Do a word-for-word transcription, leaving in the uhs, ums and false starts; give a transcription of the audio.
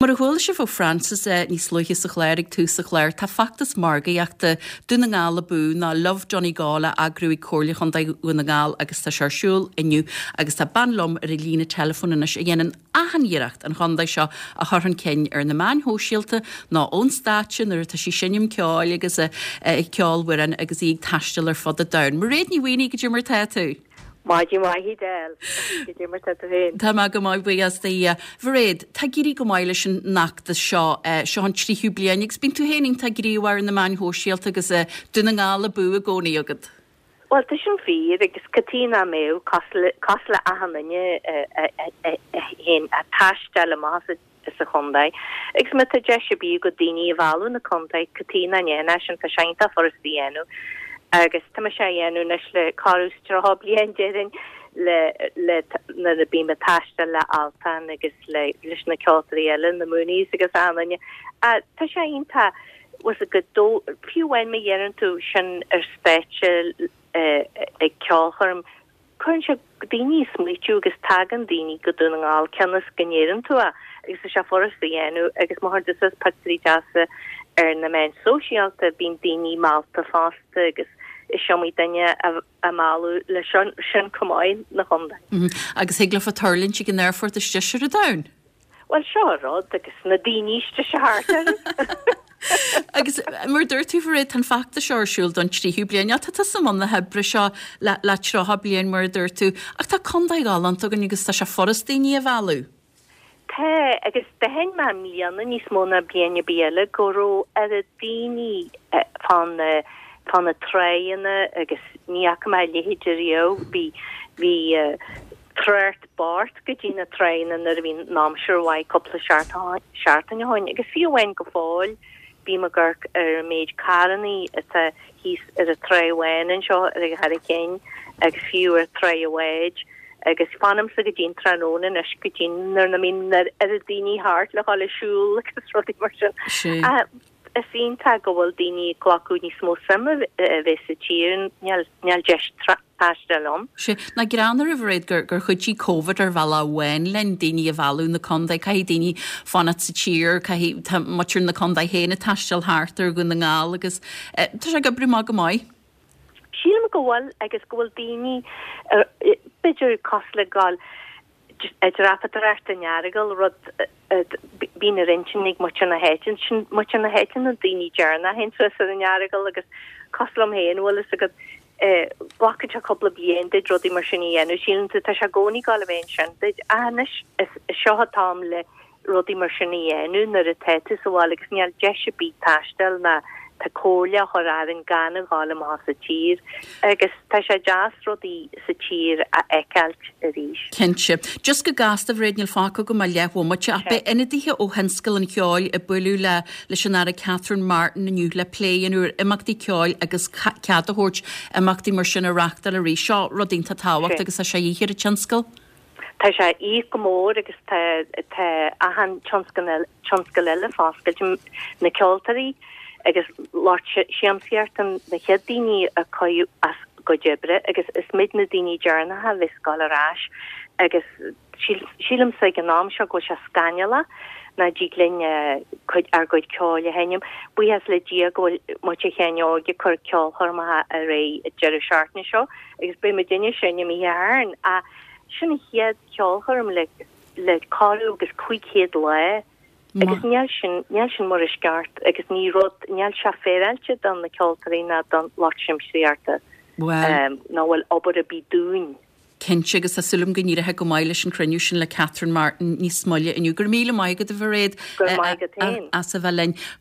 Mar a chuala sibh ó Francis níos luaithe sa chlár ag tús an chláir, tá feachtas margaíochta Dún na nGall Abú ná Love Donegal á eagrú ag Comhairle Chontae Dhún na nGall agus tá sé ar siúl inniu agus tá bean liom ar an líne teileafóin anois a dhéanann achan iarracht an chontae seo a chur chun cinn ar na meáin shóisialta ná ón stáitse nuair atá sí ag seinm ceoil agus ag ceolfhoireann agus í ag taisteal ar fud an domhain. Mairéad Ní Mhaonaigh cad é mar tá tú. Maidin mhaith Edel cad é mar tá tú féin. Tá mé go maith buíochas do Dhia. Mhairéad, tá ag éirí go maith leis an fheachtas seo, seo an tríú bliain agus bíonn tú féin iontach gníomhach ar na meáin shóisialta agus Dún na nGall Abú i gcónaí agat. Bhuel tá sin fíor agus cad chuige nach mbeadh cosúil le achan duine a théann ag taisteal amach as an chontae. Agus má tá deis ar bith agat daoine a mhealladh na contae cad chuige nach ndéanfá sin tá sé iontach furasta a dhéanamh. agus tá mise á dhéanamh anois le corradh is tríocha bliain déarfainn le le nuair a bím ag taisteal le Altan agus le leis na ceoltóirí eile na Mooneys agus achan duine. Tá sé iontach was go dó fiú amháin má dhéanann tú sin ar stáitse ag ceolchoirm cuireann sé daoine ag smaoitiú agus tagann daoine go Dún na nGall cionn is go ndeireann tú é agus tá sé furasta a dhéanamh agus má chuireann tú suas pictiúirí deasa ar na meáin sóisialta bíonn daoine meallta fosta agus is iomaí duine a mealladh le sin sin chomh maith na chontae. Agus thig leofa tuirlingt ag an aerfort istigh ar an domhan. Well seo an rud agus na daoine istigh thart orthu. Agus mar dúirt tú Mhairéad tá an feachtas seo ar siúl don tríú bliain, tá tusa i mbun na hoibre seo le le tríocha bliain mar a dúirt tú, ach tá contae galánta againn agus tá sé furast daoine a mhealladh. Tá agus d'aithin mé i mbliana níos mó ná bliain ar bith eile go raibh oiread daoine fán fá na tránna agus ní fhaca mé a leithéid ariamh bhí bhí trácht bocht go dtí na tránna nuair a bhí an aimsir mhaith cúpla seachtain ó shin agus fiú amháin go fóill bím ag amharc ar an méid carrannaí atá thíos ar an Trá Bháin anseo ar an Charraig Chinn agus fiú ar Trá an Bháid agus fanamsa go dtí an tráthnóna anois go dtí nuair nach mbíonn oiread daoine thart le dhul ag siúl agus rudaí mar sin. Is iontach go bhfuil daoine ag glacadh níos mó suime a bheith sa tír níl níl deis taisteal ann. Sea, nach greannmhar a Mhairéad gur gur chuidigh Covid ar bhealach amháin linn daoine a mhealladh na contae, caithfidh daoine fanacht sa tír, caithfidh tá muintir na contae féin ag taisteal thart ar Dhún na nGall agus eh, tá sé ag oibriú maith go maith. Sílim go bhfuil agus go bhfuil daoine b'fhéidir cosúil le gabháil ag dreapadóireacht in Earagail rud bíonn ar intinn ag muintir na háite sin muintir na háite na daoine deireanacha a théann suas ar an Earagail agus cosúil liom féin bhfuil fhios agat glacann sé cúpla bliain duit rudaí mar sin a dhéanamh síleann tú tá sé i gcónaí ag gabháil a bheith ansin duit anois is seo an t-am le rudaí mar sin a dhéanamh nuair atá tú sa bhaile agus níl deis ar bith taisteal ná tá comhairle á chur orainn gan a ghabháil amach sa tír agus tá sé deas rudaí sa tír a fheiceáilt arís. Cinnte. Just go gasta Mhairéad níl fágtha agam ach leathbhomaite ach beidh ionadaithe ó thionscal an cheoil ag bualadh le leis an Aire Catherine Martin inniu le plé a dhéanamh ar imeachtaí ceoil agus cead a thabhairt imeachtaí mar sin a reáchtáil arís. Seo rud iontach tábhachtach agus tá sé de dhíth ar an tionscal. Tá sé de dhíth go mór agus tá tá achan tionscal tionscal eile foscailte na ceoltóirí agus lucht siamsaíochta na chéad daoine a cailleadh as gcuid oibre agus is muid na daoine deireanacha a bheas ag gabháil ar ais agus sílimse ag an am seo go bhfuil sé scannalach nach dtig linn cuid ár gcuid ceoil a sheinm. Buíochas le Dia go bhfuil muintir Sheáin Óig ag cur ceolchoirmeacha ar aghaidh an deireadh seachtaine seo agus beidh muidinne ag seinm oíche Shathairn ach sin an chéad cheolchoirm le le corradh agus cúig chéad lá agus níl sin níl sin mar is ceart agus ní rud níl sé féaráilte don na ceoltóirí ná don lucht siamsaíochta Well ná bhfuil obair ar bith dúinn. Cinnte agus tá súil agam go n-éireoidh go maith leis an chruinniú sin le Catherine Martin níos moille inniu. Gur míle maith agat a Mhairéad Gur maith agat féin. as a bheith linn.